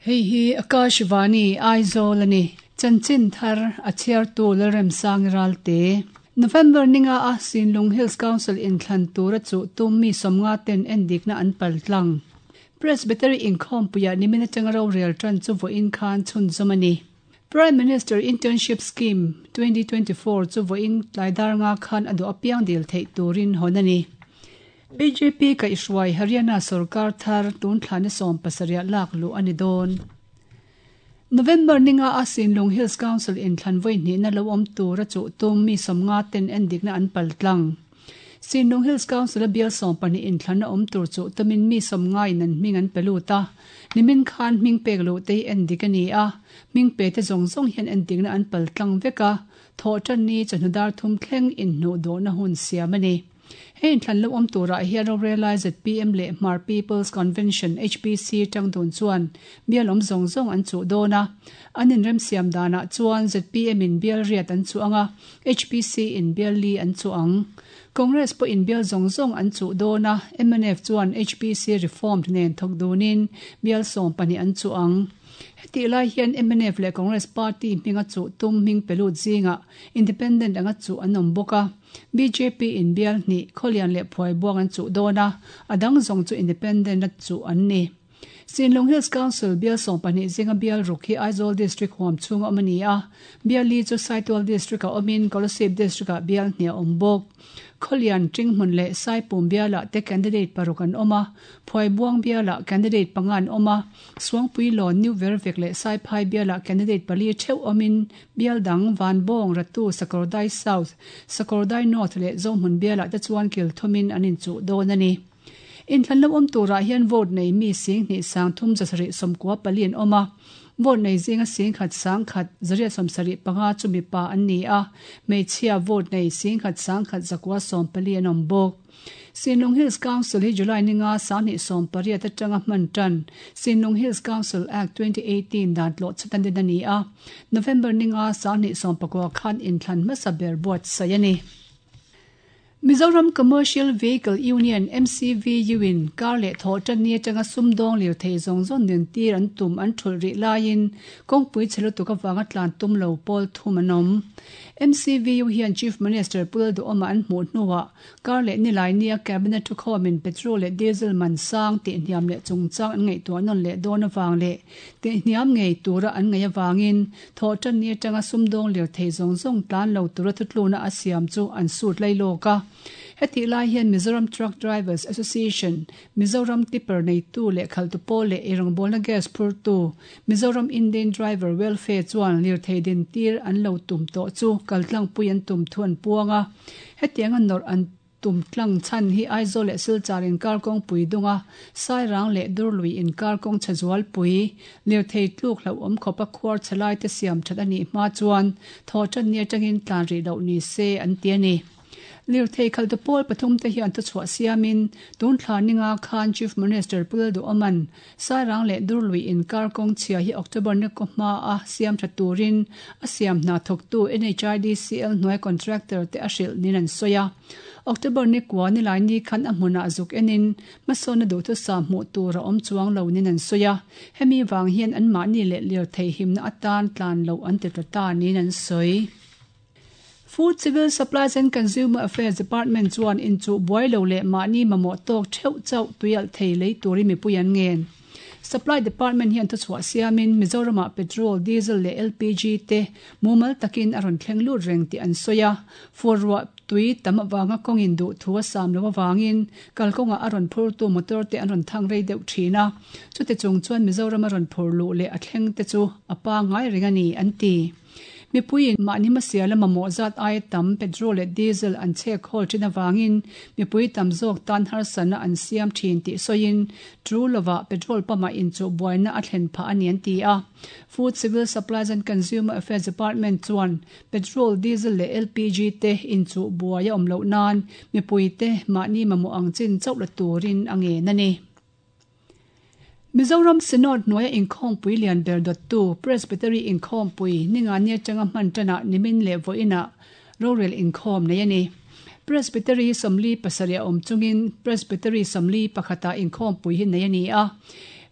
Hei hi Akashvani Aizawl a ni. Chanchin thar a chhiartu Lalremsangi Ralte. November ninga a Sinlung Hills Council inthlan tura chuh tum mi 50 ten endikna an paltlang. Presbytery inkhawmpuiah nimin atanga rorel tan chu vawiin khan chhunzawm a ni. Prime Minister Internship Scheme 2024 chu vawiin tlaidar nga khan a duh apiang dil theih turin hawn a ni. BJP kaihhruai Haryana sorkar thar tun thlana 17 lak luh a ni dawn. November ninga a Sinlung Hills Council inthlan vawi hnihna lo awm tura chuh tum mi 50 ten endikna an paltlang. Sinlung Hills Council a bial 12 inthlan a awm tur chuh tumin mi 50 in an hming an pe lut a. Nimin khan hming pek luh te hi endik a ni a. Hming pe te zawng zawng hian endikna an paltlang vek a. Thawh tan ni chawhnu dar thum thleng inhnuh dawhna hun siam a ni. Hei inthlan lo awm turah hian rorelai ZPM leh Hmar People's Convention, HPC, tang dun chuan bial awm zawng zawng an chuh dawn a. An inrem siam danah chuan ZPM in bial riat an chuh ang a, HPC in bial li an chuh ang. Congress pawh in bial zawng zawng an chuh dawn a, mnf chuan HPC Reformed nen thawk dunin bial 12 an chuh ang. Hetih lai hian mnf leh Congress party hminga chuh tum hming pe lut zingah Independent anga chuh an awm bawk a. BJP in bial hnih Khawlian leh Phuaibuang an chuh dawn a, a dang zawng chu Independent a chuh an ni. Sinlung Hills Council bial 12 zinga bial ruk hi Aizawl District huam chhunga awm a ni a. Bial li chu Saitual District a awmin Kolasib District ah bial hnih a awm bawk. Khawlian, Tinghmun leh Saipum bialah te candidate paruk an awm a, Phuaibuang bialah candidate panga an awm a, Suangpuilawn, New Vervek leh Saiphai bialah candidate pali theuh awmin bial dang Vanbawng, Ratu, Sakawrdai South, Sakawrdai North leh Zohmun bialah te chuan kil thumin an inchuh dawn a ni. Inthlan lo awm turah hian vote nei mi 2 3 794 an awm a. Vote nei zinga 1 1 175 chu mipa an ni a. Hmeichhia vote nei 1 1 914 an awm bawk. Sinlung Hills Council hi July ninga 2018 atanga hman tan Sinlung Hills Council Act 2018 dan tlawh chatan din a ni a. November ninga 2019 khan inthlan hmasa ber buatsaih a ni. Mizoram Commercial Vehicle Union, MCVU, in kar leh thawh tan ni atanga sumdawng lir thei zawng zawng nen tir an tum an thulh rih laiin kawngpui chhe lutuk avanga tlan tum lo pawl thum an awm. MCVU hian Chief Minister Pu Lalduhoma an hmuh hnuah kar leh nilai nia Cabinet thukhawmin petrol leh diesel man sang tihhniam leh chungchang an ngaihtuah nawn leh dawn avang leh tihhniam ngei tura an ngaih avangin thawh tan ni atanga sumdawng lir thei zawng zawng tlan lo tura thutluna a siam chu an sut lai lawk a. Hetih lai hian Mizoram Truck Drivers Association, Mizoram Tipper neitu leh khaltu pawl leh eirawngbawlna gas phurtu Mizoram Indian Driver Welfare chuan lirthei din tir an lo tum tawh chu kaltlangpui an tum thu an puang a. Hetianga nawrh an tum tlang chhan hi Aizawl leh Silchar inkar kawngpui dunga Sairang leh Durlui inkar kawng chhe zualpui lirthei tluk hlauhawm khawpa khuar chhe lai te siam that a nih hma chuan thawh tan ni atangin tlan rih loh ni se an ti a ni. Lirthei khaltu pawl pathum te hian thuchhuah siamin tun thla ninga khan Chief Minister Pu Lalduhoman Sairang leh Durlui inkar kawng chhia hi October ni kaw hma a siam tha turin a siam hna thawktu NHIDCL hnuai contractor te a hrilh nin an sawi a. October ni kua nilai ni khan a hmunah zuk enin hmasawnna duhthusa hmuh tur a awm chuang lo nin an sawi a. Hemi vang hian an mahni leh lirthei himna atan tlan loh an ti tla ta niin an sawi. Food Civil Supplies and Consumer Affairs Department chuan inchuh buai lo leh mahni mamawh tawk theuh chauh tuialh thei lei turin mipui an ngen. Supply Department hian thuchhuah siamin Mizoramah petrol, diesel leh LPG te mumal takin a rawn thleng lut reng tih an sawi a. Fur ruah tui tam avanga kawngin duh thu a sam lo avangin kalkawngah a rawn phurtu motor te an rawn thang rei deuh thin a. Chute chung chuan Mizoram a rawn phur luh leh a thleng te chu a pangngai reng a ni, an ti. Mipuiin mahni hmasial lama mawh zat aia tam petrol leh diesel an chhek hawl thin avangin mipui tam zawk tan harsatna an siam thin tih sawiin true lovah petrol pump-ah inchuh buaina a thlen phah a ni an ti a. Food Civil Supplies and Consumer Affairs Department chuan petrol, diesel leh LPG te inchuh buai a awm loh nan mipuite mahni mamawh ang chin chauh la turin a ngen a ni. Mizoram Synod hnuaia inkhawmpui lian ber dawttu Presbytery inkhawmpui ninga ni atanga hman tanah nimin leh vawiinah rorel inkhawm nei a ni. Presbytery 47 a awm chungin Presbytery 41 ah inkhawmpui hi nei a ni a.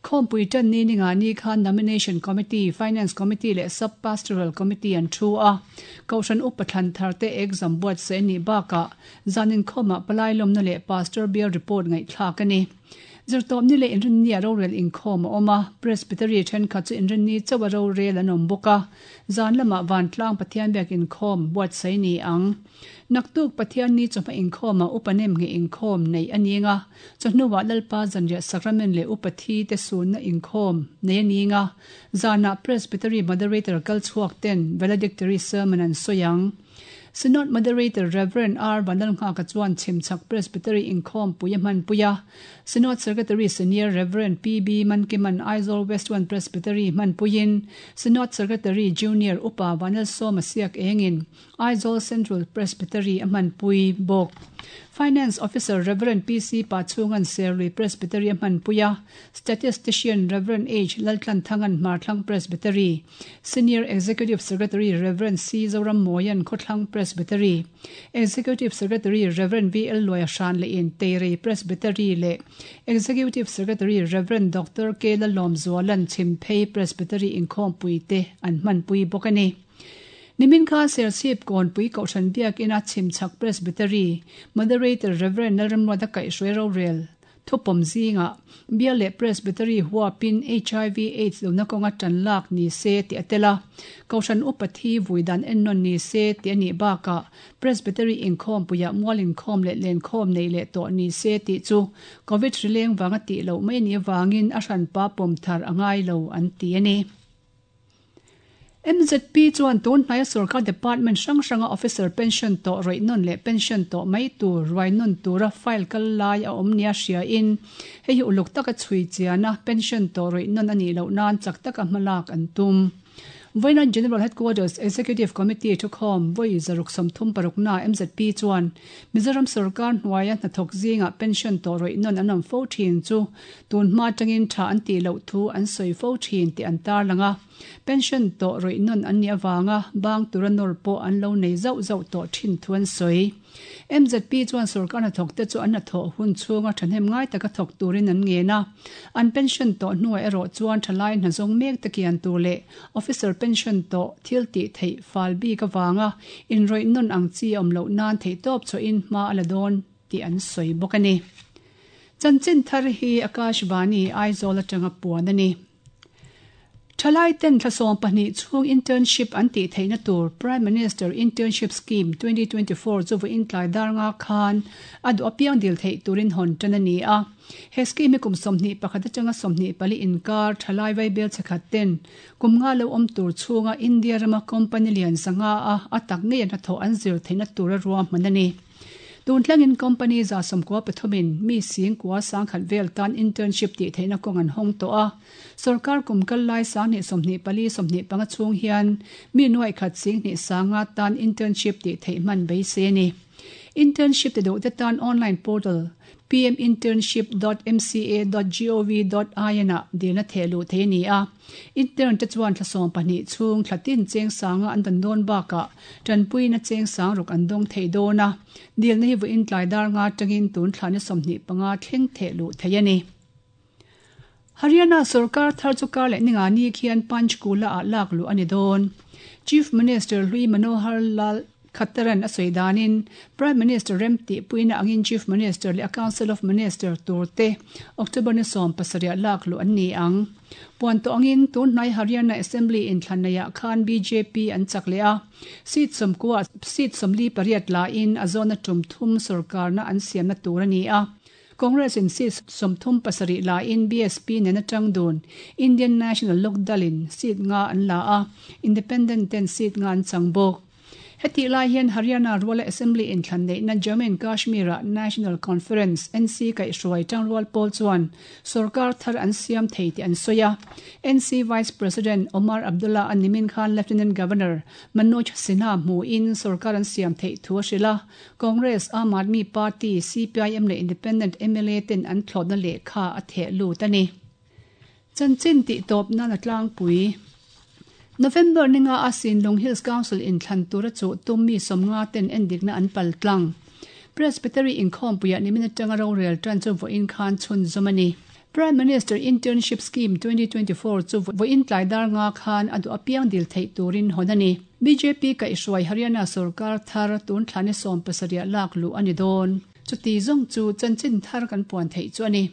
Khawmpui tan ni ninga ni khan Nomination Committee, Finance Committee leh Sub-Pastoral Committee an thu a. Kohhran Upa thlan tharte exam buatsaih a nih bakah zan inkhawmah palai lawmna leh Pastor Bial report ngaihthlak a ni. Zirtawpni leh Inrinni-ah rorel inkhawm a awm a, Presbytery thenkhat chu Inrinni chauha rorel an awm bawk a, zan lamah Vantlang Pathian biak inkhawm buatsaih ni ang. Naktuk Pathianni chawhma inkhawmah Upa Nemngheh inkhawm neih a ning a, chawhnuah Lalpa Zanriah Sacrament leh Upa Thi te sunna inkhawm neih a ning a, zanah Presbytery Moderator kal chhuak ten Valedictory Sermon an sawi ang. Synod Moderator Rev. R. Vanlalnghaka chuan Chhimchhak Presbytery inkhawmpui a hmanpui a, Synod Secretary Senior Rev. PB Mankiman Aizawl West One Presbytery hmanpuiin Synod Secretary Junior Upa Vanlalsawma Siak engin Aizawl Central Presbytery a hmanpui bawk. Finance Officer Rev. PC Pachhunga'n Serlui Presbytery a hmanpui a, Statistician Rev. H. Laltlanthanga'n Hmarthlang Presbytery, Senior Executive Secretary Rev. C. Zorammawia'n Khawthlang Presbytery, Executive Secretary Rev. VL Luaia Hran lehin Teirei Presbytery leh Executive Secretary Rev. Doctor K. Lalawmzuala'n Chhimphei Presbytery inkhawmpui te an hmanpui bawk a ni. Nimin kha Serchhip Kawnpui Kohhran Biakina Chhimchhak Presbytery Moderator Rev. Lalramruata Kaihhruai rorel thupawm zingah Bial leh Presbytery huapin hiv Aids lohna kawnga tan lak ni se tih a tel a, Kohhran upa thi vui dan ennawn ni se tih a nih bakah Presbytery inkhawmpuiah mual inkhawm leh lenkhawm neih leh tawh ni se tih chu Covid hrileng vanga tih loh mai a nih avangin a hranpa pawm thar a ngai lo an ti a ni. MZP chuan tun hnaia sorkar department hrang hranga officer pension tawh rawih nawn leh pension tawh mai tur ruai nawn tura file kal lai a awm nia hriain hei hi uluk taka chhui chiana pension tawh rawih nawn a nih loh nan chak taka hmalak an tum. Vawiina General Headquarters Executive Committee thukhawm vawi 36 MZP chuan Mizoram sorkar hnuaia hnathawk zingah pension tawh rawih nawn an awm fo thin chu Tun hma atangin tha an tih loh thu an sawi fo thin tih an tarlang a, pension tawh rawih nawn an nih avanga bang tura nawr pawh an lo nei zauh zauh tawh thin thu an sawi. MZP chuan sorkar hnathawkte chu an hnathawh hun chhunga thahnem ngai taka thawk turin an ngen a, an pension tawh hnuah erawh chuan thalai hna zawng mek te kian tur leh officer pension tawh thil tih theih fal bik avanga inrawih nawn ang chi a awm loh nan theihtawp chhuahin hma a la dawn tih an sawi bawk a ni. Chanchin thar hi Akashvani, Aizawl atanga puan a ni. Thalai ten thla 12 chhung internship an tih theihna tur Prime Minister Internship Scheme 2024 chu vawiin tlai dar nga khan a duh apiang dil theih turin hawn tan a ni a. He scheme hi kum 21 atanga 24 inkar thalai vaibel chhekhat ten kum nga lo awm tur chhunga India rama company lian 500 a a tak ngei a hnathawh an zir theihna tura ruahman a ni. Tun thlengin company 193 in mi singkua sangkhat vel tan internship tih theihna kawng an hawng tawh a. Sorkar kum kal lai 2024 25 chhung hian mi nuaih khat singhnih sanga tan internship tih theih hman beisei a ni. Internship ti duhte tan online portal pminternship.mca.gov.in ah dilna theh luh theih a ni a. Intern te chuan thla 12 chhung thla tin cheng sanga an dan dawn bakah tanpuina cheng sang ruk an dawng thei dawn a. Dilna hi vawiin tlai dar nga tangin tun thla ni 25 thleng theh luh theih a ni. Haryana sarkar thar chu kar leh ninga ni khian Panchkula ah lak luh a ni dawn. Chief Minister Hlui Manohar Lal Khattaran a sawi danin Prime Minister rem tih puina angin Chief Minister leh a Council of Minister tur te October ni 17 lak luh an ni ang. Puan tawh angin tun hnai Haryana Assembly inthlan neiah khan BJP an chak leh a, seat 90 seat 48 la in a zawna tum thum sarkarna an siamna tur a ni a. Congress in seat 37 la in BSP nen atang dun Indian National Lok Dal in seat nga an la a, Independent ten seat nga an chang bawk. Heti lai hian Haryana Ruala Assembly inthlan neihna Jammu and Kashmir ah National Conference, NC, kaihhruai tangrual pawl chuan sarkar thar an siam thei tih an sawi a. NC Vice President Omar Abdullah a nimin khan Lieutenant Governor Manoj Sinha hmuin sarkar an siam theih thu a hrilh a. Congress, Aam Aadmi Party, CPIM leh Independent mla ten an thlawtna lehkha a theh lut a ni. Chanchin tih tawp nan a tlangpui. November ninga a Sinlung Hills Council inthlan tura chu tum mi 50 ten endikna an pal tlang. Presbytery inkhawmpuiah nimin atanga rorel tan chu vawiin khan chhun zum a ni. Prime Minister Internship Scheme 2024 chu vawiin tlai dar nga khan a duh apiang dil theih turin hawn a ni. Bjp kaihhruai Haryana sorkar thar tun thlani 17 lak luh a ni dawn. Chuti zawng chu chanchin thar kan puan theih chu a ni.